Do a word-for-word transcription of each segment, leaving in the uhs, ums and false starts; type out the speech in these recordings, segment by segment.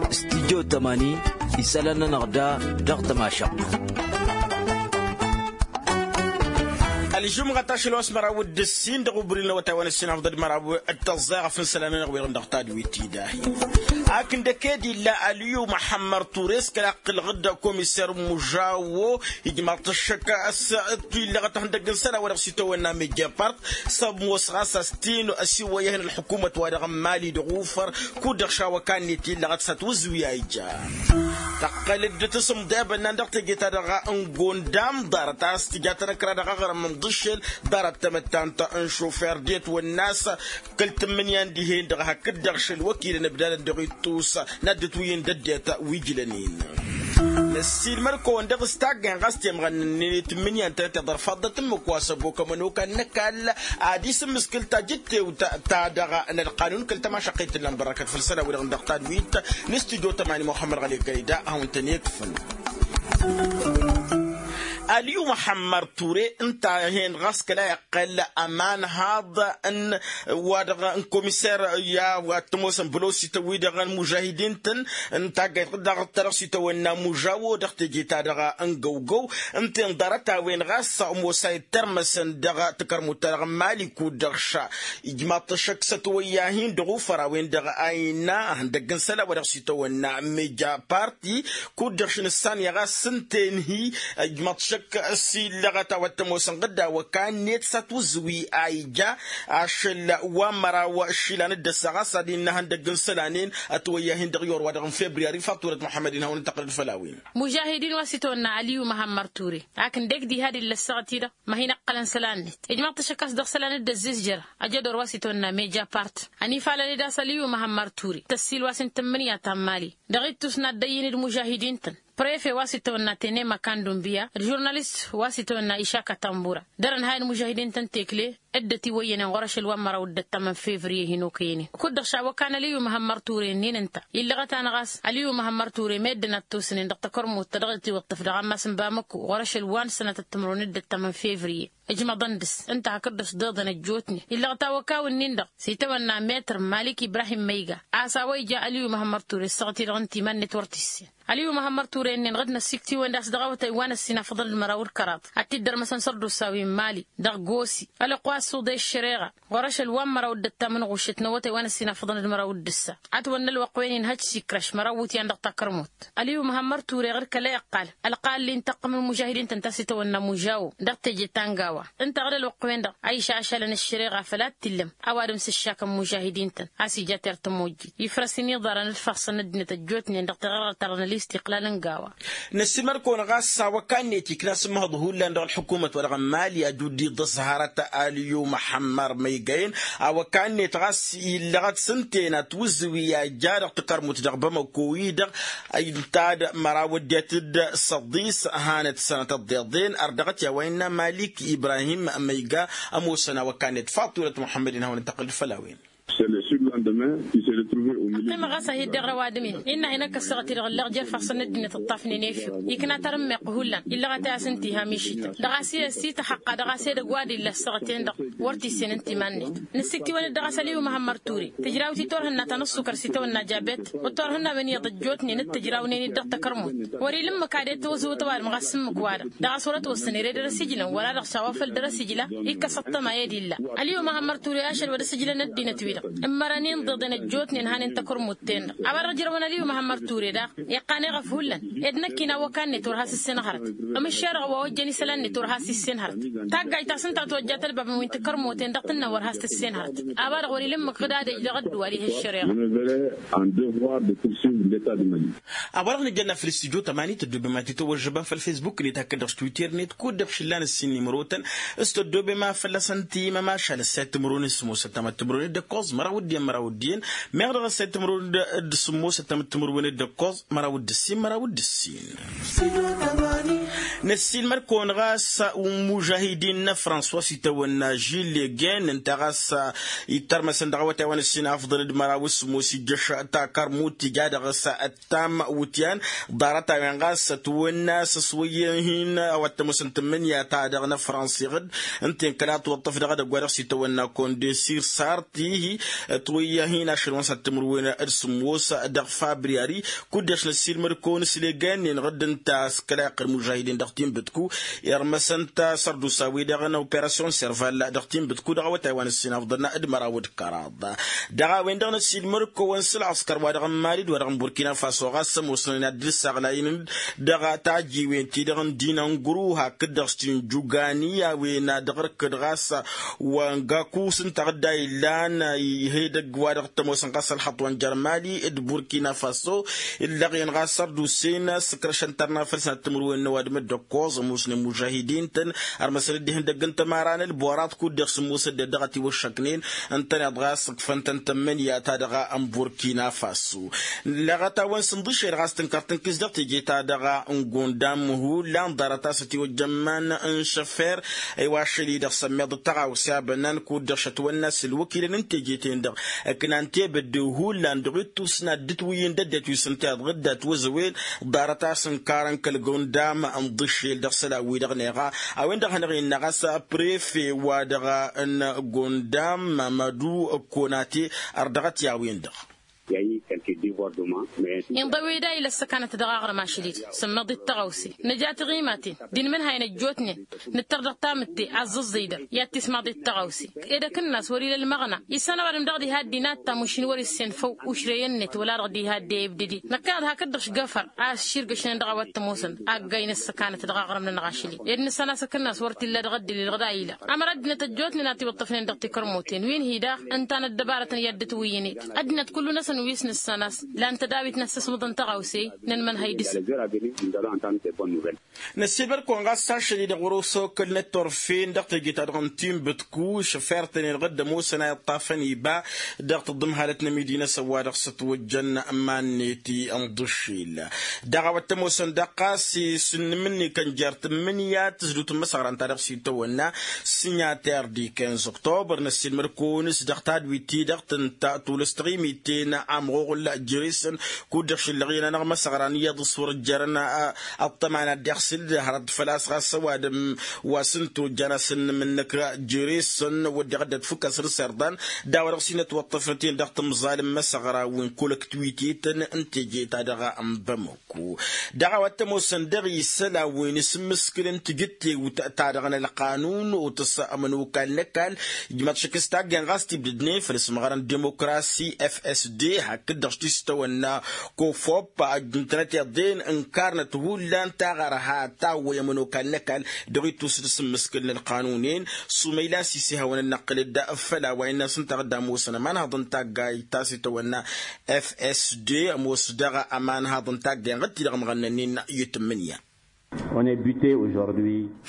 Studyo tămani isălan-nănăɣ da dăɣ-tămašăɣt. Ălžumɣăt ašăl wa s-măraw d-ǝssin dăɣ-ubrin n-awătay wa n-ǝssin afḍăd măraw d-tăẓẓa ɣef n-isălan-nănăɣ wi-dăɣ dăɣ-tadwit-i dahi. Ak n-dăked illa ălyu măḥămmăr ture s-kăla ǝqqǝlăɣ-dd komiser mužawo ijmaḍ-t ăššăk a-s t-illăɣăt ihăndăgg n-isălan wa dăɣ-s itawănna meja part s-ămoos ɣas a-s t-inu ăsiwăyăh n-ălḥukumăt wa dăɣ-n mali dăɣ-ufăr kud-dăɣ šawăka-net illăɣăt s-ătwǝzwi a ija. Tăqqăl-dd tasǝmḍe a bănnan dăɣ-teje-ta-dăɣ n-gondam ḍarăt a-s tǝja tănăkra dăɣ-aɣrǝm n-iḍǝššel ḍarăt tamăttant n-šufer d-etwănna a-s kăl-tǝmmǝnǝya n-dihen-dăɣ hakd-dăɣ šăl wăkilăn ǝbdadăn dăɣ-ittus n-ad-dd-ătwǝyyǝn d-ăddinăt wi ǝjlănen. Năssiilmăd-kăwăn dăɣ-s taggayăn ɣas temɣănnănnen i-tǝmmǝnǝya ǝntănăt iḍărfaḍ d-atǝmmǝk wa s-ăbokămăn okal n-ăkall ad-isǝmmǝskǝl tajǝttewt-ta-dăɣ n-ălqanun kăl-tămašăqqit tǝllan bărrăkăt făll-isălan wi-dăɣ dăɣ-tadwit n-studyo tămani muxămmăd ɣăli kăyda a hawăn-tăn-ikfǝn. Aliyu măxămmăr ture ǝnta a hen ɣas kăla iqqăl ămanhaḍ n-wa-dăɣ n-komiser i-ad-tămoosăn bălosităn wi-dăɣ n-mužahidin-tăn n-taggayt dăɣ-ta dăɣ-s itawănna mužawo dăɣ-teje-ta-dăɣ n-găwgăw ǝnta-en ḍarăt-a-wen ɣas ămoos a ittărmăsăn dăɣ-takărmut-ta-dăɣ n-mali kud-dăɣ ša ijmaḍ-t ăššăk s-ătwăyyahin dăɣ-ufăr a-wen-dăɣ a innă ihăndăgg n-isălan wa dăɣ-s itawănna meja parti kud-dăɣ š-nǝssanǝya ɣas s-ǝnta-en hi-ijmaḍ-t ăššăk s-illăɣăt a-wa t-ămoosăn ɣǝdda awăka-net s-ătwǝzǝwi a ija ašăl wa n-măraw išilan dd-ăssa ɣas ad-innă ihăndăgg n-isălan-en ătwăyyahin dăɣ-iwăr wa dăɣ-n febriyari faḍt turăt muḥămmăd-in hawăn-dd-tăqqǝlăd făll-a-wen. Mužahidin wa s-itawănna aliyu măhămmăr ture ak ǝndek diha d-illa ăssaɣăt-i-dăɣ ma hin-ǝqqălăn isălan-net ijmăḍ-t ăššăk a-s dăɣ-isălan dd-ăzzizjăr ajădor wa s-itawănna meja part ănifalăn-dd a-s aliyu măhămmăr ture tăssiil wa s-intǝmmǝnǝya ta n-mali dăɣ-ittus n-ad-dd-ăyyǝn d-mužahidin-tăn prefe wa s-itawănna tenema kandumbiya d-žurnalist wa s-itawănna išaka tambura dăr-ănhayăn mužahidin-tăn tekle dd-ătiwăyyănen ɣur-ašăl wa n-măraw d-ăttăm n-fevriye hin-okăyănen kud-dăɣ šawăkan aliyu măhămmăr ture-nin ǝnta illăɣăt-anăɣ a-s aliyu măhămmăr ture meddǝn ad-t-osnen dăɣ-takărmut ta dăɣ-itiwǝṭṭǝf dăɣ-ammas n-bamăko ɣur-ašăl wa n-sănatăt timǝrwen d-ăttăm n-fevriye ǝjmăḍăn dăɣ-s ǝnta hakd-dăɣ-s dd-oḍăn ăjjootnen illăɣăt awăkaw-nin-dăɣ s-itawănna metr malik ibrahim măyga a-s a-wa ija aliyu măhămmăr ture ǝssăɣăt-i-dăɣ ǝnta iman-net wăr t-issen. Aliyu măhămmăr ture-nin ɣǝd năssiktǝwăn d-a-s dăɣ-awătay wa n-ăssinafăḍăn d-măraw d-kăraḍ ad-t-dd-ărmăsăn sărdusawi n-mali dăɣ-gosi ălwăqq wa s-uḍe ăššăreɣa ɣur-ašăl wa n-măraw d-ăttam n-ɣuššăt n-awătay wa n-ăssinafăḍăn d-măraw d-ǝssa ad-t-wănna ălwăqq-wen-in hăj s-ikrăš măraw iwǝtyan dăɣ-takărmut. Aliyu măhămmăr ture ɣǝd kăla iqqal ălqal-i n-taqqǝm n-mužahidin-tăn ta s-itawănna mužawo dăɣ-teje ta n-gawa ǝnta ɣǝd ălwăqq-wen-dăɣ a išašalăn ăššăreɣa făl ad-t-illăm ăwadǝm s-ǝššakăn mužahidin-tăn a-s ija terr tămojjit ifrăs-in iḍarăn d-fassăn ăddinăt ăjjootnen dăɣ-teɣărɣărt-ta-dăɣ n-ălistiqlal n-gawa. Năssiilmăd-kăwăn ɣas s-awăka-net ikna s-ǝmmăhăḍ hullan dăɣ-ălḥukumăt wa dăɣ-n mali ad-dd-iḍăs hărăt aliyu măḥămmăr măygăyăn awăka-net ɣas illăɣăt s-ǝnta-en ătwǝzǝwi a ija dăɣ-takărmut dăɣ-bamăko-i-dăɣ ǝnta d-măraw ăddinăt d-săḍis hanăt sănatăt tiḍeḍen ărdăɣăt i-a-wa innă malik ibrahim măyga ămoosăn awăka-net faḍt turăt muḥămmăd-in hawăn-dd-tăqqǝl d-făll-a-wen. Ăqqimăɣ ɣas a hi-dd-iɣrăw adǝm-in innă a hin-ăkk ăssaɣăt-i-dăɣ ǝlleɣ jer-ifassăn n-ăddinăt ǝṭṭafnen efew ikna tarǝmmeɣt hullan illăɣăt a-s ǝnta iha mišităn dăɣ-a-s i-ăsităxăqqa dăɣ-a-s edăgg wa d-illa ăssaɣăt-en-dăɣ wăr t-issen ǝnta iman-net. Nǝssiktiwăn-dd dăɣ-a-s ăliyu măhămmăr ture tǝjrawt i-turhǝnna ta n-ăṣṣukăr s-itawănna jabet d-turhǝnnawen iyyăḍ ăjjootnen d-tǝjrawnen-dd dăɣ-takărmut wăr-ila ǝmmǝk ad-e-tăwăzăwăt ăwadǝm ɣas ǝmmǝk-wa-dăɣ dăɣ-a-s wăr-ătwăssăn ere dăr-asǝjlăn wăla-dăɣ s-a-wa făl dăr-asǝjla ikkăs ăṭṭăma i-dd-illa. Ăliyu măhămmăr ture ašăl wăr dd-asǝjlăn ăddinăt-wi-dăɣ ǝmmărăn inḍeḍen ăjjootnen hanen takărmut-ten-dăɣ a-wa-dăɣ ǝjrăwăn ăliyu măhămmăr ture daɣ iqqan eɣăf hullan ed năkk-in awăka-net wăr has-issen hărăt. Ămǝššer-dăɣ wa ojjăn isălan-net wăr has-issen hărăt. Taggajt ta s-ǝnta ătwăjja tălbabăn wi n-takărmuten dăɣ-tǝnnăn wăr has-tǝssen hărăt. A-wa-dăɣ wăr ila ǝmmǝk ɣǝd ad-ej dăɣ-ăddǝwal ihăššăreɣa. A-wa-dăɣ nǝjănna făll-studyo tămani tăddobem ad-t-tăwăžžăbăm făll-facebook-net hakd-dăɣ s-twitter-net kud-dăɣ šǝllan ǝssin n-imărotăn s-tăddobem a fălla-săn timămašal ăssayăt timǝrwen d-sǝmmosăt tamăttămărwen d-ǝkkoẓ măraw d-iyyăn măraw d-iyyăn meɣ dăɣ-ăssayăt timǝrwen d-sǝmmosăt tamăttămărwen d-ǝkkoẓ măraw d-ǝssin măraw d-ǝssin. Năssiilmăr-kăwăn ɣas, imužahidin n-ăfrăns wa s-itawănna žil legăn ǝnta ɣas ittărmăsăn dăɣ-awătay wa n-ǝssin afḍăn d-măraw s-sǝmmos ijjăš takărmut tija dăɣ-s ăttam wutyan. Ḍarăt-a-wen ɣas ătwănna s-ăswăyyăn hin-a-wa t-ămoosăn tǝmmǝnǝya-ta-dăɣ n-ăfrăns iɣǝd ǝnta-en kăla tǝwăṭṭăf dăɣ-edăgg wa dăɣ-s itawănna kondesir sart ihi. Ătwăyyăn hin-ašăl wa n-săr timǝrwen d-sǝmmos dăɣ-fabriyari. Kud-dăɣ-s năssiilmăd-kăwăn s-legăn-en ɣǝdd ǝnta a-s kăla iqqăl mužahidin dăɣ-tinbǝtku irmăsăn-t sărdusa-wi-dăɣ n-operasyon serval dăɣ-tinbǝtku dăɣ-awătay wa n-ǝssin afḍăn d-măraw d-kăraḍ. Dăɣ-a-wen-dăɣ năssiilmăd-kăwăn s-ălɣăskăr wa dăɣ-n mali d-wa dăɣ-n burkina faso ɣas ămoosnen ad-dd-saɣlayăn dăɣ-tajiwen-ti-dăɣ n-dinăngru hakd-dăɣ s-tinjugani a-wen ad-ɣărkăd ɣas wa n-gaku s-ǝnta ɣǝdda illan. Ih'-edăgg wa dăɣ-t-ămoosăn ɣas ălxăṭṭ wa n-jer-mali d-burkina faso illăɣ-en ɣas ărdusen s-ǝkrăšăn tărna făll-săn ad-timǝrwen n-ăwadǝm d-ăkkoẓ ămoosnen mužahidin-tăn. Ărmăsăn dd-ihăndăgg n-tămara n-ălborat kud-dăɣ sǝmmosăd-dd dăɣ-ătiwăššăknen ǝntăneḍ ɣas ǝkfăn-tăn tămmănǝya-ta-dăɣ n-burkina faso. Lăɣăt-a-wen s-ǝnḍǝšel ɣas tǝnkăr tǝnkǝs dăɣ-teje-ta-dăɣ n-gundam hullan ḍarăt a-s ătiwăjja ămman n-šăfer. Ăywa ašăl-i-dăɣ sămmeḍ d-tăɣawse abănnan kud-dăɣ šătwănna s-ǝlwăkilăn n-teje-ten-dăɣ ǝknan tebădde hullan dăɣ-ittus n-ad-dd-ǝtwǝyyǝn d-ăddinăt wi s-ǝnta iḍɣǝd d-atwăzăwen. Ḍarăt a-s ǝnkarăn kăl-gundam ǝnḍǝšel dăɣ-isălan-wi-dăɣ neɣa a-wen-dăɣ a hanăɣ-innă ɣas prefe wa dăɣ-n gundam mămădu ăkkonate. Ărdăɣăt i-a-wen-dăɣ. Inḍăwed a ila ăssăkanăt dăɣ-aɣrǝm ašăl-dd sǝmmeḍ-dd tăɣawse nǝja tiɣimaten d-inmǝnhayăn ăjjootnen. Nǝttăr dăɣ-tamǝtte aẓẓǝẓẓǝy-dăɣ i-ad-tismaḍ-dd tăɣawse. Ed ăkǝnnas wăr-ila ălmăɣna issan ăwadǝm dăɣ-diha ăddinat ta mušin wăr-issen făw ušrey-net wăla-dăɣ diha ăddey ǝbdǝdin. Năkkăneḍ hakd-dăɣ šgăfăr a ăšširgăšnen dăɣ-a-wa t-ămoosăn aggay n-ăssăkanăt dăɣ-aɣrǝm-nănăɣ ašăl-i ed nǝssan a-s ăkǝnnas wăr t-illa dăɣ-ăddǝlil ɣǝd a ila ămăra ăddinăt ăjjootnen a tiwǝṭṭăfnen dăɣ-tikărmoten wi n-hi-daɣ ǝnta n-ăddăbarătăn i-ad-dd-ǝtwǝyyǝnet. Ăddinăt kullu-năsăn wi s-nǝssan a-s lan tădawit n-ăssăsmǝḍăn tăɣawse-i. Nănmănhăy dăɣ-s. Năssiilmăd-kăwăn ɣas ašăl-i-dăɣ wăr-osokălnăt turfen dăɣ-teje-ta-dăɣ n-tinbǝtku išăffer-tăn-en ɣǝdd ămoosăn a iṭṭafăn iba dăɣ-tǝḍǝmhalăt n-emidinăsăn wa dăɣ-s ătwăjjăn. Iman-net i-ǝnḍǝšil dăɣ-a-wa t-ămoosăn dăɣ-ɣas isǝnnǝm-net kănjăr tǝmmǝnǝya tǝzdǝwt n-imăsăɣran ta dăɣ-s itawănna. Sinyater di kenz oktobăr năssiilmăd-kăwăn s-dăɣ tadwit-ti-dăɣ tǝnta tulǝs taɣimiten amɣuɣǝl jere-săn kud-dăɣ šǝllăɣ iyyăn-anăɣ imăsăɣran iyyăḍ s-wăr ǝjjărăn. Ăṭṭăma n-ad-dd-iɣsǝl hărăt făl-a-s ɣas ăwadǝm wa s-ǝnta ojjan asǝnnǝm-năk jere-săn wădden ad-dd-ătfǝkkăs d-iserḍan d-a-wa dăɣ-s hin-ătwăṭṭăfnăt-en dăɣ-timẓal n-imăsăɣra wi n-kăwălăktwit-tăn n-teje-ta-dăɣ n-bamăk. Dăɣ-a-wa t-ămoosăn dăɣ-isălan wi n-asǝmmǝskǝl n-tijǝttewt ta dăɣ-nălqanun otăs ămănokal n-ăkall. Ijmăḍ šăkk s-taggen ɣas tibdǝdnen făll-asǝmɣărăn dimokrasi fsd hakd-dăɣ s-tistăwănna kofop ăjjǝntănăt iḍen ǝnkarnăt hullan taɣărha tawwăy ămănokal n-ăkall. Dăɣ-ittus d-asǝmmǝskǝl n-ălqanun-en sumăyla s-isihawăn ad-năqqǝl-dd făll-a-wa innă s-ǝnta ɣǝdda ămoosăn ămanhăḍ n-taggayt ta s-itawănna fsd ămoos dăɣ-ămanhăḍ n-taggayen ɣǝd-ti-dăɣ ămɣănnăn-in i-tǝmmǝnǝya.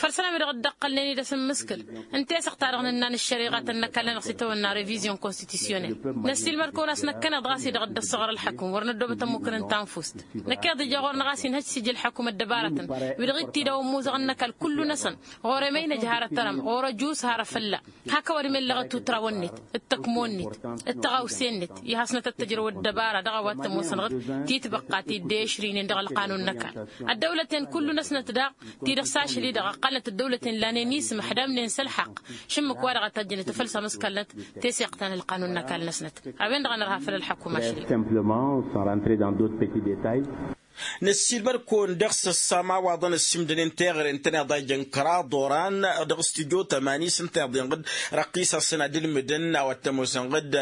Făll-isălan-wi-dăɣ dd-ăqqălnen-dd asǝmmǝskǝl n-tesăɣt-ta-dăɣ nǝnna n-ăššăriɣatăn n-ăkall-nănăɣ s-itawănna revizion konstitisiyonel. Năssiilmăd-kăwăn a-s năkkăneḍ ɣas-i-dăɣ dd-ăssăɣăr ălḥăkum wăr năddoobăt ămmukǝn n-tanfust. Năkkeḍ ija ɣur-năɣ a-s inhăj sijǝl ălḥăkum ăddăbarătăn wi-dăɣ ittidăw ămmuẓăɣ n-ăkall kullu-năsăn ɣur-emăynăj har ăttărăm ɣur-ăjus har afălla. Hak ăwadǝm ellăɣăt tutrawăn-net d-tăkmon-net d-tăɣawse-net i-hasnăt ăttăjrăw ăddăbara dăɣ-a-wa t-ămoosăn ɣǝd titbăqqa ti dd-eešrinen dăɣ-ălqanun n-ăkall. Ăddăwlăten kullu-năsnăt daɣ ti-dăɣ s-ašăl-i-dăɣ ăqqălnăt ăddăwlăten lanen isǝm ăḥdamnen s-ălxaqq. Šǝmmǝk-wa-dăɣ a tajjănet făll-samǝskalnăt teseɣt ta n-ălqanun n-ăkall-năsnăt. A-wen-dăɣ a nărha făll-ălḥăkum ašăl-i. Năssiilmăd-kăwăn dăɣ-s ăssamawaḍăn ăssimdănen teɣăre n-tăneḍ a ijăn kăraḍ oran dăɣ-s tijot ămani s-ǝnta iḍen ɣǝd. Răqqisasăn ad-ǝlmǝdăn a-wa t-ămoosăn ɣǝd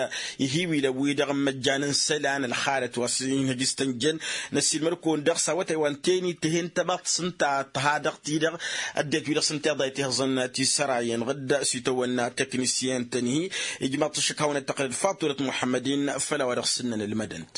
ihiwilăn-wi-dăɣ n-imăjjan n-isălan ălxalăt wa s-inhăj s-tănjăn. Năssiilmăd-kăwăn dăɣ-s a-wa tăywan teni tǝhen tăbaḍt s-ǝnta tǝha dăɣ-ti-dăɣ ăddinăt-wi-dăɣ s-ǝnta iḍa itihǝẓăn tisărayen ɣǝd s-itawănna teknisyen-tăn-hi. Ijmaḍ-t ăššăk hawăn-ăttăqlăd faturăt muḥămmăd-in făll-a-wa dăɣ-s ǝnnăn ǝlmădăn-t.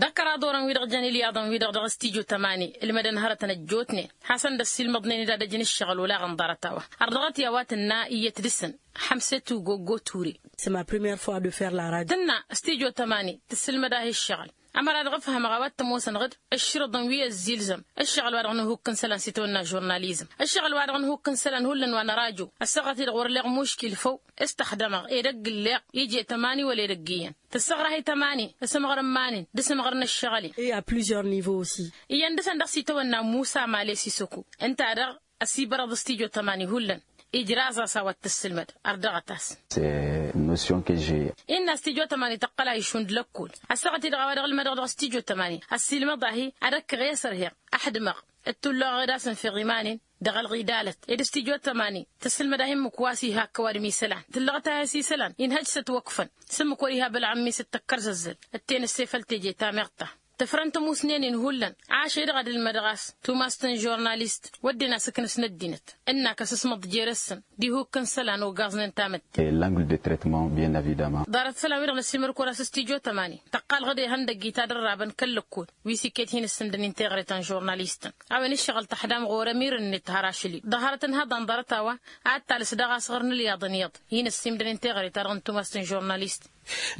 Dăɣ-kăraḍ orăn-wi-dăɣ jăn ilyaḍăn-wi-dăɣ dăɣ-s tijo tămani ǝlmădăn hărătăn ăjjootnen. Hasăn-dd-ăssiilmăḍnen-dd ad-ăj n-ǝššăɣǝl olaɣăn ḍarăt-a-wa ărdăɣăt i-a-wa tǝnna iyyăt dăr-săn. Xămset ugogo ture. Tǝnna s-tijo tămani tǝssǝlmăd-ahi ǝššăɣǝl. Ămăra-dăɣ ǝfhămăɣ a-wa t-ămoosănăɣ-dd ǝššǝrǝḍăn wi ăzziilzăm ǝššăɣǝl-wa-dăɣ n-ihukk n-isălan s-itawănna žurnalizăm. Ǝššăɣǝl-wa-dăɣ n-ihukk n-isălan hullan wa nărajo ăssaɣăt-i-dăɣ wăr leɣ muškil făw s-tăxdămăɣ edăgg ǝlleɣ ije tămani wăla edăgg iyyăn. Tǝssăɣrah i-tămani s-ǝmɣăr n-iman-in d-asǝmɣăr n-ǝššăɣǝl-in. Iyyăn dăɣ-săn dăɣ-s itawănna musa male sisăku ǝnta-dăɣ ăsibărăḍ s-tijo tămani hullan. Ijraẓ-as a-wa t-tǝssǝlmăd ărdăɣăt-as. Innă s-tijo tămani tăqqăl a išund lăkkul. Ăssaɣăt-i-dăɣ a-wa dăɣ-ǝlmădăɣ dăɣ-s tijo tămani ăssiilmăḍ-ahi ad-ăkkăɣ i-asărheɣ. Ăḥdǝmăɣ d-tulluɣ ad-asǝnfeɣ iman-in dăɣ-ălɣidalăt ed s-tijo tămani tǝssǝlmăd-ahi ǝmmǝk wa s-iha ăkkăwad misălan tǝllăɣăt-ahi s-isălan inhăj s-ătwăkfăn s-ǝmmǝk wăr-iha bălɣăm mi s-ǝttăkkăr zăzzăl. Ǝtten ǝssefăl teje tameɣta tǝfrăn tămusnen-in hullan. Ašăl-i-dăɣ ad-ǝlmădăɣ a-s tumas n-žurnalist wădden asǝknǝs n-ăddinăt ǝnn'-ak ăsǝsmăḍ jer-săn d-ihukk n-isălan ogaẓnen tamǝtte. Ḍarăt isălan-wi-dăɣ năssiilmăd-kăwăn-as s-tijo tămani tăqqalăɣ-dd ihăndăgg itadărrabăn kăl-lăkkol wi s-iket hin-ǝssǝmdăn inteɣre ta n-žurnalistăn. A-wen ǝššăɣǝl tăḥdam ɣur-emir-net har ašăl-i-dd ḍăharăt n-haḍan ḍarăt-a-wa ad-talǝs daɣ asɣăr n-ǝlyaḍăn iyyăḍ hin-ǝssǝmdăn inteɣre-ta-dăɣ n-tumas n-žurnalist.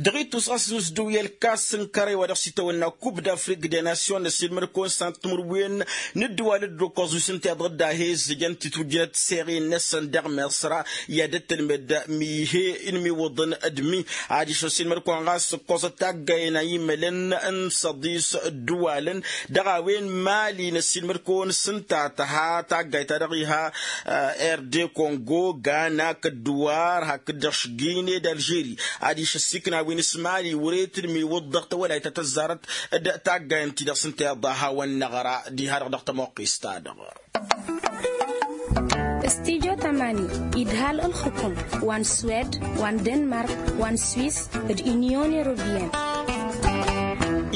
Dăɣ-ittus ɣas nǝsdǝw i-ălkas n-kărăy wa dăɣ-s itawănna kub d-afrik de nasyon năssiilmăd-kăwăn s-ad-timǝrwen n-ǝddǝwal dd-okkoẓ wi s-ǝnta iḍăr dd-ahe ǝzzǝjăn titwǝjjǝnăt seɣe-năsăn dăɣ-miṣra i-ad-ăttălmed mi-he-in imiwǝḍăn d-mi adiš ăssiilmăd-kăwăn ɣas ǝkkoẓăt taggayen a imălăn n-săḍis ǝddǝwalăn. Dăɣ-a-wen mali năssiilmăd-kăwăn s-ǝnta tăha taggayt ta dăɣ-iha erde kongo gana kăddǝwar hakd-dăɣ šǝggine d-alžeri. Adiš ăssiikna wi n-s mali wăr-e tǝdmiwǝḍ dăɣ-tawălayt ta tăzzarăt d-taggayen-ti-dăɣ s-ǝnta iḍa a hawăn-năɣra diha-dăɣ dăɣ-tămoqqist-ta-dăɣ. S-tijo tămani idhal ǝlxǝkum wa n-swed wa n-denmark wa n-swis d-inyon europiyăn.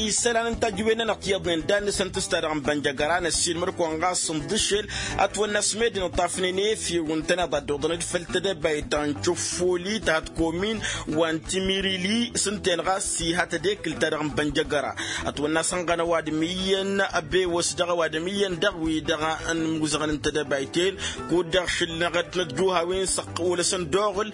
Isălan n-tajǝwen-nănăɣ tiyyăḍnen dan-năsăn tǝsta dăɣ-năbănjăgăra năssiilmăd-kăwăn ɣas n-iḍǝššel ătwănna s-medd inǝṭṭafnen efew ǝntăneḍ a dd-oḍăn d-făll-tedăbayt ta n-cofoli ta hat-komin wa n-timirili s-ǝnta-en ɣas iha tedekǝlt-ta-dăɣ n-bănjăgăra. Ătwănna a-s ănɣăn ăwadǝm iyyăn ăbewăs dăɣ-ăwadǝm iyyăn dăɣ-wi-dăɣ n-imuzăɣăn n-tedăbayt-en. Kud-dăɣ šǝlnăɣăt n-ăjjuhawen s-ăqqăwălăsăn d-oɣǝl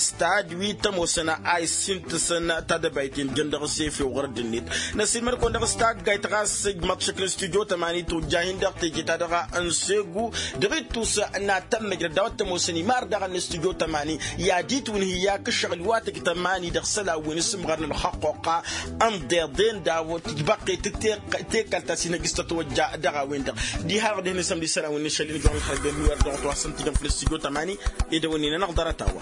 s-tad wi t-ămoosăn a issintǝsăn tadăbayt-in jăn dăɣ-s efew ɣur-dd-net. Năssiilmăd-kăwăn dăɣ-s taggayt ɣas ǝjmăḍ šăkk n-stujo tămani tujja-hin-dăɣ teje-ta-dăɣ n-segu. Dăɣ-ittus n-ad-tămmăjrăd a-wa t-ămoosăn imar daɣ n-stujo tămani i-ad-itwǝnhǝy i-ak ǝššăɣǝl wa tǝjj tămani dăɣ-isălan wi n-asǝmɣar n-ălxăqqoqqa ănḍeḍen d-a-wa tǝjbăqqet tekalt ta s-inhăj s-tătwăjja dăɣ-a-wen-dăɣ. Diha-dăɣ dăɣ-hin-isămd isălan wi n-ašăl-in ijăɣ n-ixrăjăn mi wăr dăɣ-twa s-ǝntǝjăn făll-stujo tămani. Edăwănnin-anăɣ ḍarăt-a-wa.